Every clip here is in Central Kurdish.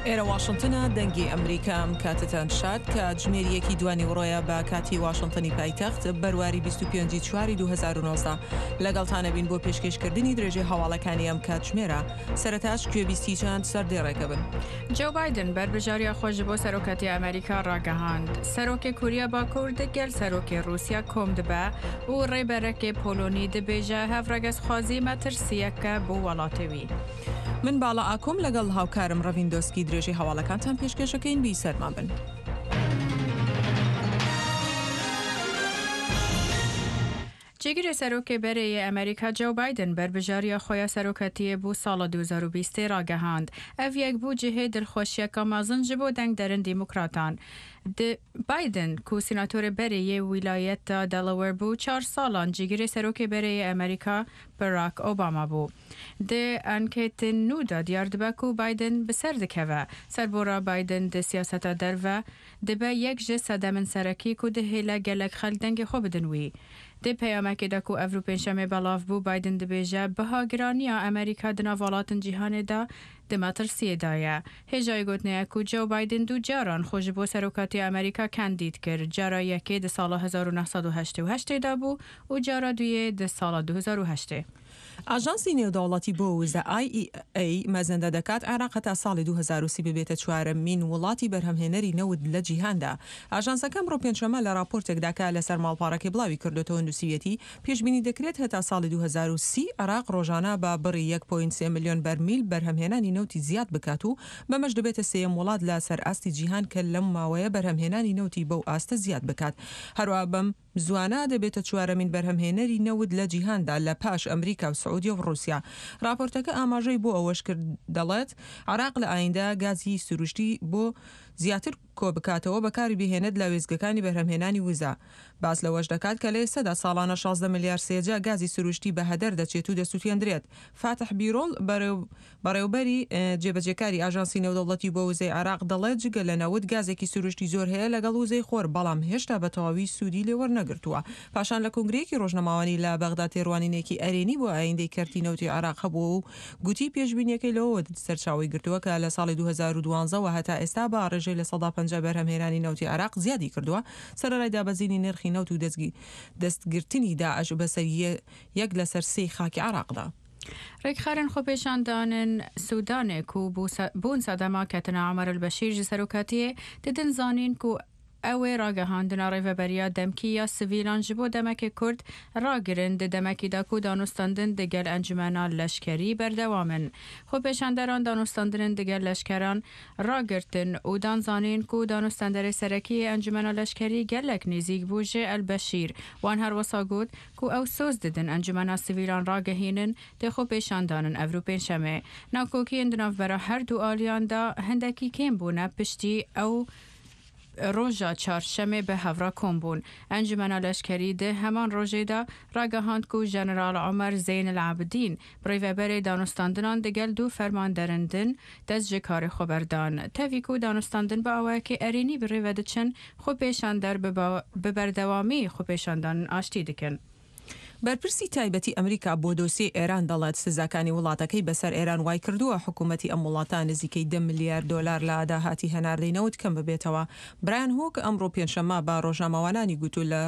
ئێرە واشنتنە دەنگی ئەمریکا ئەم کاتەتان شاد کاتژمێر یەکی دوانیوەڕۆیە بە کاتی واشنتنی پایتەخت بەرواری 25 چواری 2019 لەگەڵتانە بین بۆ پێشکێشکردنی درێژەی هەواڵەکانی ئەم کاتژمێرە سەرەتاش گوێبیستی چەند سەردێڕێکە بن. جۆ بایدن بەربژارییا خۆ ji bo serokatiya Amerîka ragihand. Serokê Koriya Bakur digel serokê Rûsya kom dibe û rêberekê Polonî dibêje hevregezxwazî metirsiyeke bo welatê wî. من باڵا ئاکۆم لەگەڵ هاوکارم ڕەڤین دۆسکی درێژەی هەواڵەکانتان پێشکێشەکەین بیسەرمان بن. جێگرê Serokê berê yê Amerîka Joe Biden berbijariya xwe ya serokatiyê bo sala 2020 ragihand. Ev yek bû cihê dilxweşiyeka mezin ji bo dengderên Demokratan. Di Biden ku senatorê berê yê wîlayeta Delaware bû çar salan cîgirê Serokê berê yê Amerîka Barack Obama bû. Di anketên nû de diyar dibe ku Biden bi ser dikeve. Serbora Biden di siyaseta derve dibe yek ji sedemên serekî ku dihêle gelek xelk dengê xwe bidin wî. Di peyamekê de ku evro pêncşemê belav bû, Biden dibêje biha giraniya Amerîka di nav welatên cîhanê de di metirsiyê de ye. Hêjayê gotinê ye ku Joe Biden du caran xwe ji bo serokatiya Amerîka kandîd kir. Cara yekê di sala 1988 de bû û cara duyê di sala 2008. ئاژانسی نێودەوڵەتی بۆ وزە IEA مەزەندە دەکات عێراق هەتا ساڵی 2030 ببێتە چوارەمین وڵاتی بەرهەمهێنەری نەوت لە جیهاندا. ئاژانسەکە ئەمڕۆ پێنجشەممە لە راپۆرتێکدا کە لەسەر ماڵپەڕەکەی بڵاوی کردۆتەوە نووسیویەتی، پێشبینی دەکرێت هەتا ساڵی 2030 عێراق ڕۆژانە بە بڕی یەک پۆینت سێ ملیۆن بەرمیل بەرهەمهێنانی نەوتی زیاد بکات و بەمەش دەبێتە سێیەم وڵات لە سەر ئاستی جیهان کە لەم ماوەیە بەرهەمهێنانی نەوتی بەو ئاستە زیاد بکات. هەروەها بەم زوانە دەبێتە چوارەمین بەرهەمهێنەری نەوت لە جیهاندا لە پاش ئەمریکا و سعودیە و ڕووسیا. ڕاپۆرتەکە ئاماژەی بۆ ئەوەشکرد دەڵێت، عێراق لە ئایندە گازی سروشتی بۆ زیاتر کۆبکاتەوە بەکاری بهێنێت لە وێستگەکانی بەرهەمهێنانی وزە. باس لەوەش دەکات کە لە ئێستادا ساڵانە 16 ملیار سێجا گازی سروشتی بە هەدەر دەچێت و دەسوتێندرێت. فاتح بیرۆڵ، بەڕێوبەری جێبەجێکاری ئاژانسی نێودەوڵەتی بۆ وزەی عێراق دەڵێت، جگە لە نەوت گازێکی سروشتی زۆر هەیە لەگەڵ وزەی خۆر، بەڵام هێشتا بە تەواوی سوودی لێ وەرنەگرتووە. پاشان لە کۆنگرەیەکی ڕۆژنامەوانی لە بەغدا تێڕوانینێکی ئەرێنی بۆ ئایندەی کەرتی نەوتی عێراق هەبووە و گوتی پێشبینییەکەی لەوەوە سەرچاوەی گرتووە کە لە ساڵی 2012 وە هەتا ئێستا بە ڕێژەی 50% بەرهەمهێنانی نەوتی عێراق زیادی کردووە سەرەڕای دابەزینی نرخی نەوت و دەستگرتنی داعش بەسەر یەک لەسەر سێی خاکی عێراقدا. رێکخەرên xwepêşandanên Sûdanê ku bûn sedema ketina Omer el-Beşîr ji serokatiyê didin zanîn ku ew ê ragihandina rêveberiya demkî ya sivîlan ji bo demekê kurt ragirin di demekî de ku danûstandin digel encumena leşkerî berdewam in. Xwepêşanderan danûstandinên digel leşkeran ragirtin û dan zanîn ku danûstanderê serekî yê encumena leşkerî gelek nêzîk bû ji el-Beşîr. Wan her wisa got ku ew soz didin encumena sivîlan ragihînin dê xwepêşandanin evro pêncşemê. Nakokiyên di navbera her du aliyan de hindekî kêm bûne piştî ew roja çarşemê bi hev re kom bûn. Encumena Leşkerî di heman rojê de ragihand ku General Omer Zeyn El Abidîn birêveberê danûstandinan digel du fermanderên din dest ji karê xwe berdan. Tevî ku danûstandin bi awayekî erênî bi rê ve diçin, xwepêşander bi berdewamî xwepêşandanên aştî dikin. بەرپرسی تایبەتی ئەمریکا بۆ دۆسیەی ئێران دەڵێت، سزاکانی وڵاتەکەی بەسەر ئێران وایکردووە حکومەتی ئەم وڵاتە نزیکەی دە ملیار دۆلار لە داهاتی هەناردەی نەوت کەم ببێتەوە. برایان هوک ئەمڕۆ پێنجشەممە بە ڕۆژنامەوانانی گوت لە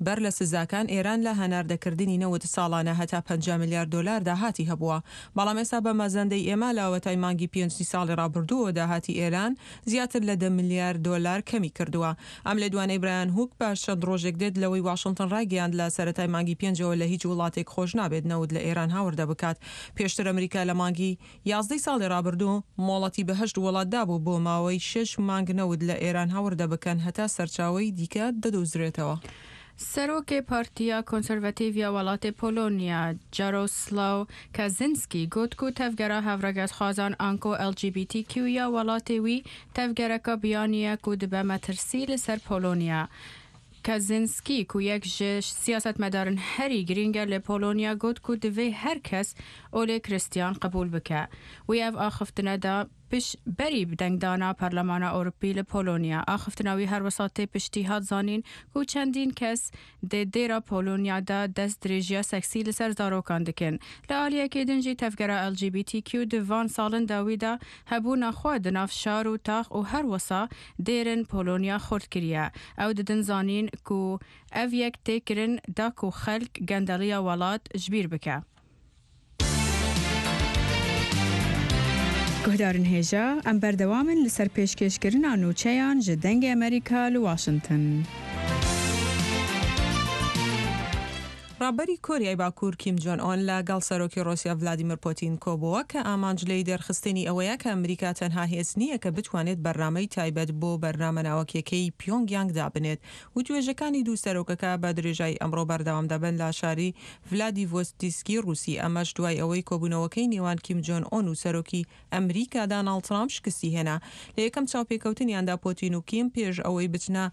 بەر لە سزاکان ئێران لە هەناردەکردنی نەوت ساڵانە هەتا 50 ملیار دۆلار داهاتی هەبووە، بەڵام ئێستا بە مەزەندەی ئێمە لە ئەوەتای مانگی پێنجی ساڵی ڕابردووەوە داهاتی ئێران زیاتر لە دە ملیار دۆلار کەمی کردووە. ئەم لێدوانەی برایان هوک پاش چەند ڕۆژێک دێت لەوەی واشنتن ڕایگەیاند لە سەرەتای مانگی پێنجەوە لە هیچ وڵاتێک خۆش نابێت نەوت لە ئێران هاوردە بکات. پێشتر ئەمریکا لە مانگی یازدەی ساڵی ڕابردوو مۆڵەتی بە هەشت وڵات دابوو بۆ ماوەی شەش مانگ نەوت لە ئێران هاوردە بکەن هەتا سەرچاوەی دیکە دەدۆزرێتەوە. Serokê Partiya Konservatîv ya welatê Polonya Jaroslaw Kaczynski got ku tevgera hevregezxwazan anko LGBTQ ya welatê wî tevgereka biyanî ye ku dibe metirsî li ser Polonya. Kaczynski ku yek ji siyasetmedarên herî girîng e li Polonya got ku divê her kes olê Krîstiyan qebûl bike. Wî ev axiftina da. پش بەری دەنگدانا پەرلەمانا ئەوروپی لە پۆلۆنیا. ئاخفتنا وی هەروەسا تێ پشتی هات زانین کو چەندین کەس دێ دێرا پۆلۆنیا دا دەست درێژیا سەکسی li ser zarokan dikin. Li aliyekê din jî tevgera LGBTQ di van salin dawî de hebûna xwe di nav şar û tax û her wisa dêrên Polonya xurt kiriye. Ew didin zanîn ku ev yek tê kirin da ku xelk gendeliya welat ji bîr bike. Guhdarên hêja, em berdewam in li ser pêşkêşkirina nûçeyan ji Dengê Amerîka li Washington. ڕابەری کۆریای باکوور کیم جۆن ئۆن لە گەڵ سەرۆکی ڕۆسیا ڤلادیمیر پۆتین کۆبۆوە کە ئامانج لێی دەرخستنی ئەوەیە کە ئەمریکا تەنها هێز نییە کە بتوانێت بەرنامەی تایبەت بۆ بەرنامە ناوەکیەکەی پیۆنگ یانگ دابنێت. وتوێژەکانی دوو سەرۆکەکە بە درێژایی ئەمڕۆ بەردەوام دەبن لە شاری ڤلادیڤۆستیسکی ڕووسی، ئەمەش دوای ئەوەی کۆبوونەوەکەی نێوان کیم جۆن ئۆن و سەرۆکی ئەمریکا داناڵد ترامپ شکستی هێنا. لە یەکەم چاوپێکەوتنیاندا پۆتین و کیم پێش ئەوەی بچنە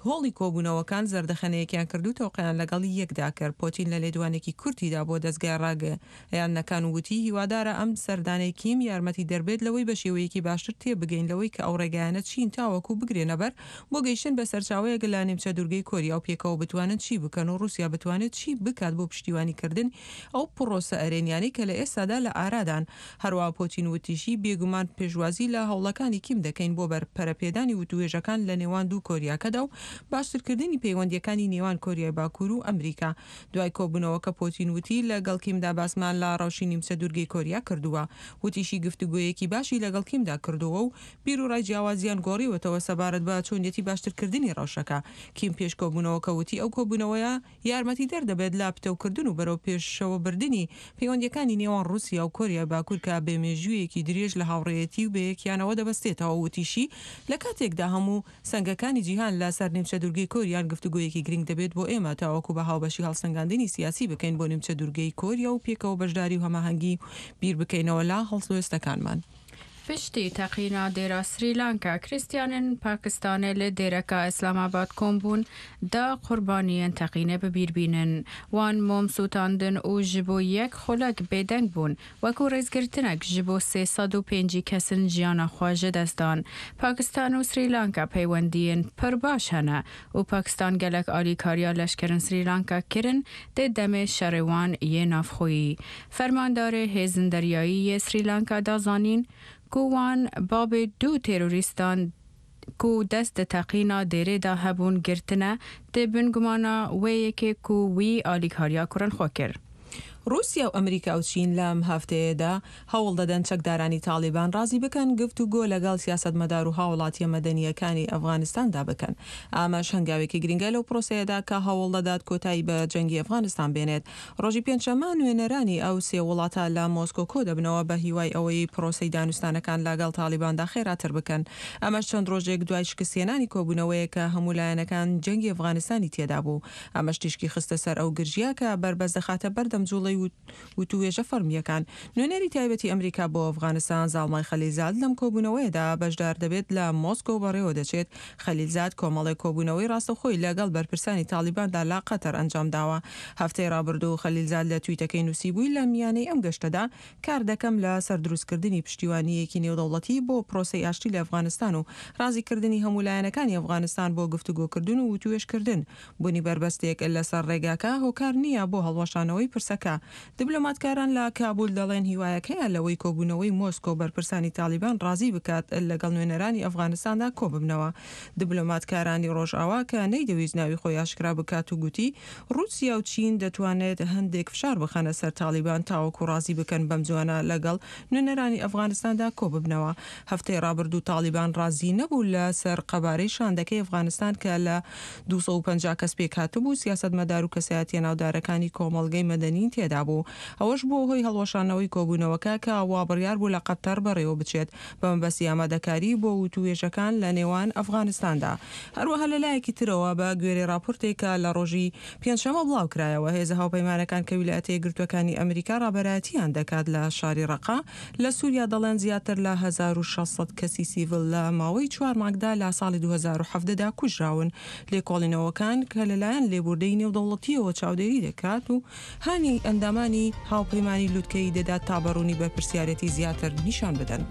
هۆڵی کۆبوونەوەکان زەردەخەنەیەکیان کرد و تەوقەیان لەگەڵ یەکدا کرد. پۆتین لە لێدوانێکی کورتیدا بۆ دەزگای ڕاگەیاندنەکان وتی هیوادارە ئەم سەردانەی کیم یارمەتیدەربێت لەوەی بە شێوەیەکی باشتر تێبگەین لەوەی کە ئەو ڕێگایانە چین تاوەکو بگرێنەبەر بۆ گەیشتن بە سەرچاوەیەک لە نیمچە دوورگەی کۆریا و پێکەوە بتوانن چی بکەن و ڕووسیا بتوانێت چی بکات بۆ پشتیوانی کردنی ئەو پڕۆسە ئەرێنیانەی کە لە ئێستادا لە ئارادان. هەروەها پۆتین وتیشی، بێگومان پێشوازی لە هەوڵەکانی کیم دەکەین بۆ بەر پەرەپێدانی وتووێژەکان لە نێوان دوو کۆریاکەدا و باشترکردنی پەیوەندییەکانی نێوان کۆریای باکوور و ئەمریکا. دوای کۆبوونەوەکە پۆتین وتی، لەگەڵ کیمدا باسمان لە ڕەوشی نیمچە دوورگەی کۆریا کردووە. وتیشی گفتوگۆیەکی باشی لەگەڵ کیمدا کردووە و بیروڕای جیاوازیان گۆڕیوەتەوە سەبارەت بە چۆنیەتی باشترکردنی ڕەوشەکە. کیم پێش کۆبوونەوەکە وتی ئەو کۆبوونەوەیە یارمەتیدەر دەبێت لە پتەوکردن و بەرەو پێشەوەبردنی پەیوەندییەکانی نێوان ڕووسیا و کۆریای باکوور کە بە مێژوویەکی درێژ لە هاوڕێیەتی و بەیەکیانەوە دەبەستێتەوە. وتیشی لە کاتێکدا هەموو سەنگەکانی جیهان لە سەر نیمچە دوورگەی کۆریان گفتوگۆیەکی گرنگ دەبێت بۆ ئێمە تاوەکو بە هاوبەشی هەڵسەنگاندنی سیاسی بکەین بۆ نیمچە دوورگەی کۆریا و پێکەوە بەشداری و هەماهەنگی و بیر بکەینەوە لە هەڵوێستەکانمان. پشتی تەقینا دێرا سریلانکا، کریستیانên Pakistanê li dêreka Îslamabad kom bûn da qurbaniyên teqînê bi bîr bînin. Wan mom sûtandin û ji bo yek xulek bêdeng bûn, wekû rêzgirtinek ji bo 350 kesin jiyana xwe ji dest dan. Pakistan û Srîlanka peywendiyên pir baş hene û Pakistan gelek alîkariya leşkerên Srîlanka kirin di demê şerê wan yê navxweyî. Fermandarê Hêzên Deryayî yê Srî Lanka da zanîn ku wan babê du terorîstan ku dest di teqîna dêrê de hebûn girtine di bin gumana wê yekê ku wî alîkariya kurên xwe kir. ڕووسیا و ئەمریکا و چین لەم هەفتەیەدا هەوڵ دەدەن چەکدارانی تاڵیبان ڕازی بکەن گفتوگۆ لەگەڵ سیاسەتمەدار و هاوڵاتییە مەدەنییەکانی ئەفغانستاندا بکەن. ئەمەش هەنگاوێکی گرنگە لەو پرۆسەیەدا کە هەوڵ دەدات کۆتایی بە جەنگی ئەفغانستان بێنێت. ڕۆژی پێنجشەممە نوێنەرانی ئەو سێ وڵاتە لە مۆسکۆ کۆدەبنەوە بە هیوای ئەوەی پرۆسەی دانوستانەکان لەگەڵ تاڵیباندا خێراتر بکەن. ئەمەش چەند ڕۆژێک دوای شکستهێنانی کۆبوونەوەیەک کە هەموو لایەنەکان جەنگی ئەفغانستانی تێدابوو. ئەمەش تیشکی خستە سەر ئەو گرژییە کە بەربەست دەخاتە بەردەم جوڵەی وتووێژە فەڕمییەکان. نوێنەری تایبەتی ئەمریکا بۆ ئەفغانستان زاڵمای خەلیلزاد لەم کۆبوونەوەیەدا بەشدار دەبێت لە مۆسکۆ بەڕێوەدەچێت. خەلیلزاد کۆمەڵێک کۆبوونەوەی ڕاستەوخۆی لەگەڵ بەرپرسانی تاڵیباندا لە قەتەر ئەنجامداوە. هەفتەی ڕابردوو خەلیلزاد لە تویتەکەی نووسیبووی لە میانەی ئەم گەشتەدا کار دەکەم لە سەر دروستکردنی پشتیوانییەکی نێودەوڵەتی بۆ پرۆسەی ئاشتی لە ئەفغانستان و ڕازیکردنی هەموو لایەنەکانی ئەفغانستان بۆ گفتوگۆکردن و وتوێژکردن. بوونی بەربەستێک لەسەر ڕێگاکە هۆکار نییە بۆ هەڵوەشانەوەی پرسەکە. دبلۆماتکاران لە کابول دەڵێن هیوایەک هەیە لەوەی کۆبوونەوەی مۆسکۆ بەرپرسانی تاڵیبان ڕازی بکات لەگەڵ نوێنەرانی ئەفغانستاندا کۆببنەوە. دبلۆماتکارانی ڕۆژئاوا کە نەیدەویست ناوی خۆی ئاشکرا بکات و گوتی ڕووسیا و چین دەتوانێت هەندێک فشار بخەنە سەر تاڵیبان تاوەکو ڕازی بکەن بەمزووانە لەگەڵ نوێنەرانی ئەفغانستاندا کۆببنەوە. هەفتەی ڕابردوو تاڵیبان ڕازی نەبوو لە سەر قەبارەی شاندەکەی ئەفغانستان کە لە 250 کەس پێکهاتبوو، سیاسەتمەدار و کەسایەتییە ناودارەکانی کۆمەڵگەی مەدەنی تێدابوو. ئەوەش بووە هۆی هەڵوەشانەوەی کۆبوونەوەکە کە وابڕیار بوو لە قەتەر بەڕێوەبچێت بە مەبەستی ئامادەکاری بۆ وتووێژەکان لە نێوان ئەفغانستاندا. هەروەها لە لایەکی ترەوە بە گوێرەی ڕاپۆرتێک کە لە ڕۆژی پێنجشەممە بڵاوکرایەوە، هێزە هاوپەیمانەکان کە ویلایەتە یەکگرتووەکانی ئەمریکا ڕابەرایەتییان دەکات لە شاری ڕەقە لە سوریا دەڵێن زیاتر لە 1600 کەسی سیڤیل لە ماوەی چوار مانگدا لە ساڵی 2017 دا کوژراون. لێکۆڵینەوەکان کە لەلایەن لێبوردەی نێودەوڵەتییەوە چاودێری دەکات و هانی ئەندامانی هاوپەیمانی لوتکەیی دەدات تا بە ڕوونی بەرپرسیارێتی زیاتر نیشان بدەن.